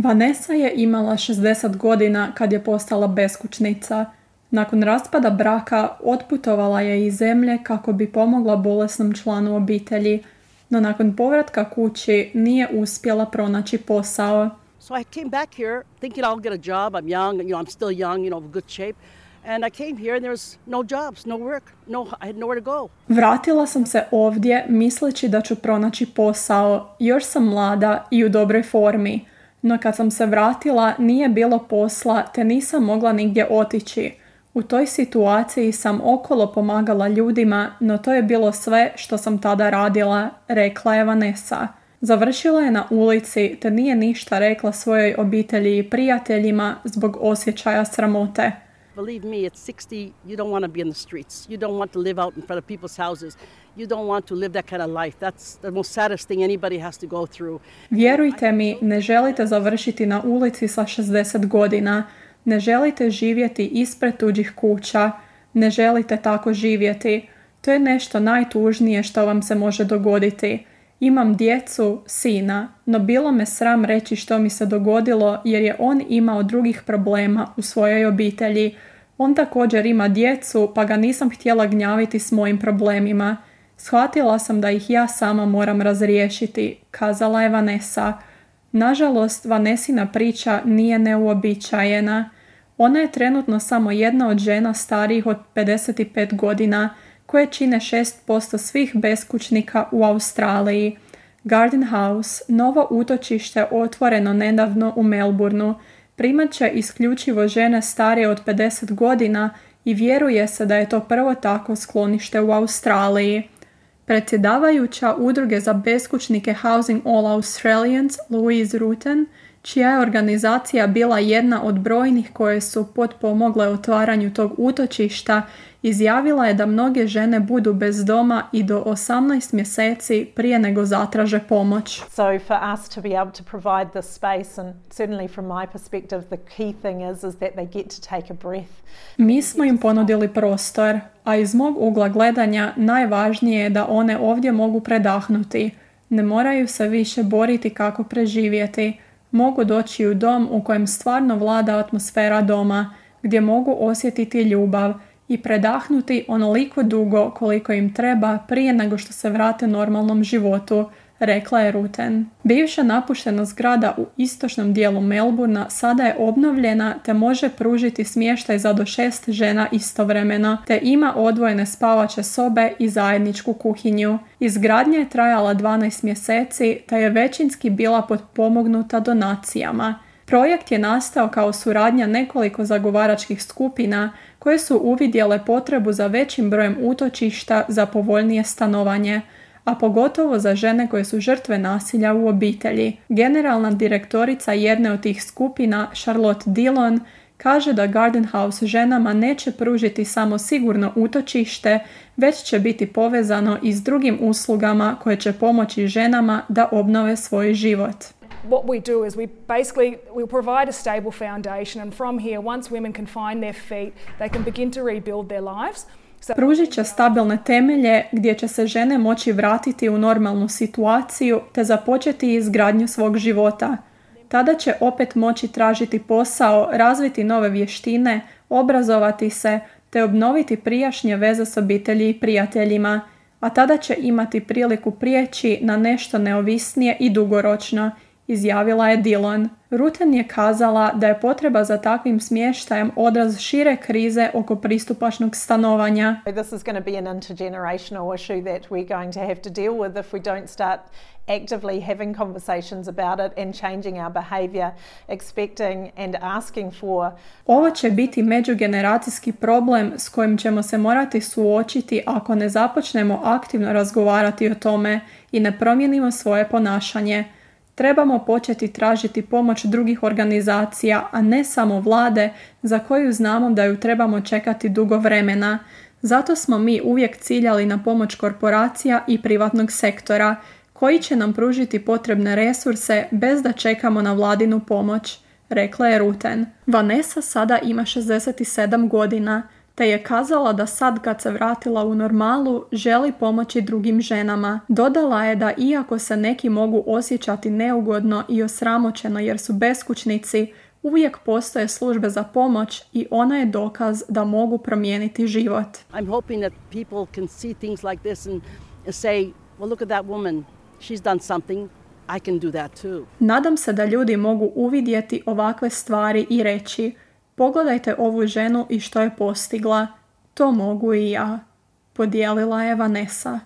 Vanessa je imala 60 godina kad je postala beskućnica. Nakon raspada braka otputovala je iz zemlje kako bi pomogla bolesnom članu obitelji, no nakon povratka kući nije uspjela pronaći posao. So I came back here thinking I'll get a job. I'm young, I'm still young, good shape. And I came here and there was no jobs, no work, I had nowhere to go. Vratila sam se ovdje misleći da ću pronaći posao. Još sam mlada i u dobroj formi. No kad sam se vratila nije bilo posla te nisam mogla nigdje otići. U toj situaciji sam okolo pomagala ljudima, no to je bilo sve što sam tada radila, rekla je Vanessa. Završila je na ulici te nije ništa rekla svojoj obitelji i prijateljima zbog osjećaja sramote. Believe me, at 60, you don't want to be in the streets. You don't want to live out in front of people's houses. You don't want to live that kind of life. That's the most saddest thing anybody has to go through. Vjerujte mi, ne želite završiti na ulici sa 60 godina. Ne želite živjeti ispred tuđih kuća. Ne želite tako živjeti. To je nešto najtužnije što vam se može dogoditi. Imam djecu, sina, no bilo me sram reći što mi se dogodilo jer je on imao drugih problema u svojoj obitelji. On također ima djecu pa ga nisam htjela gnjaviti s mojim problemima. Shvatila sam da ih ja sama moram razriješiti, kazala je Vanessa. Nažalost, Vanessina priča nije neuobičajena. Ona je trenutno samo jedna od žena starijih od 55 godina, koje čine 6% svih beskućnika u Australiji. Garden House, novo utočište otvoreno nedavno u Melbourneu, primat će isključivo žene starije od 50 godina i vjeruje se da je to prvo takvo sklonište u Australiji. Predsjedavajuća udruge za beskućnike Housing All Australians, Louise Rutten, čija je organizacija bila jedna od brojnih koje su potpomogle otvaranju tog utočišta, izjavila je da mnoge žene budu bez doma i do 18 mjeseci prije nego zatraže pomoć. So for us to be able to provide this space, and certainly from my perspective the key thing is that they get to take a breath. Mi smo im ponudili prostor, a iz mog ugla gledanja najvažnije je da one ovdje mogu predahnuti. Ne moraju se više boriti kako preživjeti. Mogu doći u dom u kojem stvarno vlada atmosfera doma, gdje mogu osjetiti ljubav i predahnuti onoliko dugo koliko im treba prije nego što se vrate normalnom životu, rekla je Rutten. Bivša napuštena zgrada u istočnom dijelu Melbournea sada je obnovljena te može pružiti smještaj za do 6 žena istovremeno, te ima odvojene spavaće sobe i zajedničku kuhinju. Izgradnja je trajala 12 mjeseci te je većinski bila potpomognuta donacijama. Projekt je nastao kao suradnja nekoliko zagovaračkih skupina koje su uvidjele potrebu za većim brojem utočišta za povoljnije stanovanje, a pogotovo za žene koje su žrtve nasilja u obitelji. Generalna direktorica jedne od tih skupina, Charlotte Dillon, kaže da Garden House ženama neće pružiti samo sigurno utočište, već će biti povezano i s drugim uslugama koje će pomoći ženama da obnove svoj život. What we do is we provide a stable foundation, and from here, once women can find their feet, they can begin to rebuild their lives. Pružit će stabilne temelje gdje će se žene moći vratiti u normalnu situaciju te započeti izgradnju svog života. Tada će opet moći tražiti posao, razviti nove vještine, obrazovati se te obnoviti prijašnje veze s obitelji i prijateljima, a tada će imati priliku prijeći na nešto neovisnije i dugoročno, izjavila je Dillon. Rutten je kazala da je potreba za takvim smještajem odraz šire krize oko pristupačnog stanovanja. This is going to be an intergenerational issue that we're going to have to deal with if we don't start actively having conversations about it and changing our behavior, expecting and asking for. Ovo će biti međugeneracijski problem s kojim ćemo se morati suočiti ako ne započnemo aktivno razgovarati o tome i ne promijenimo svoje ponašanje. Trebamo početi tražiti pomoć drugih organizacija, a ne samo vlade za koju znamo da ju trebamo čekati dugo vremena. Zato smo mi uvijek ciljali na pomoć korporacija i privatnog sektora, koji će nam pružiti potrebne resurse bez da čekamo na vladinu pomoć, rekla je Rutten. Vanessa sada ima 67 godina, te je kazala da sad kad se vratila u normalu, želi pomoći drugim ženama. Dodala je da iako se neki mogu osjećati neugodno i osramoćeno jer su beskućnici, uvijek postoje službe za pomoć i ona je dokaz da mogu promijeniti život. I'm hoping that people can see things like this and say, well, look at that woman. She's done something. I can do that too. Nadam se da ljudi mogu uvidjeti ovakve stvari i reći, pogledajte ovu ženu i što je postigla. To mogu i ja, podijelila je Vanessa.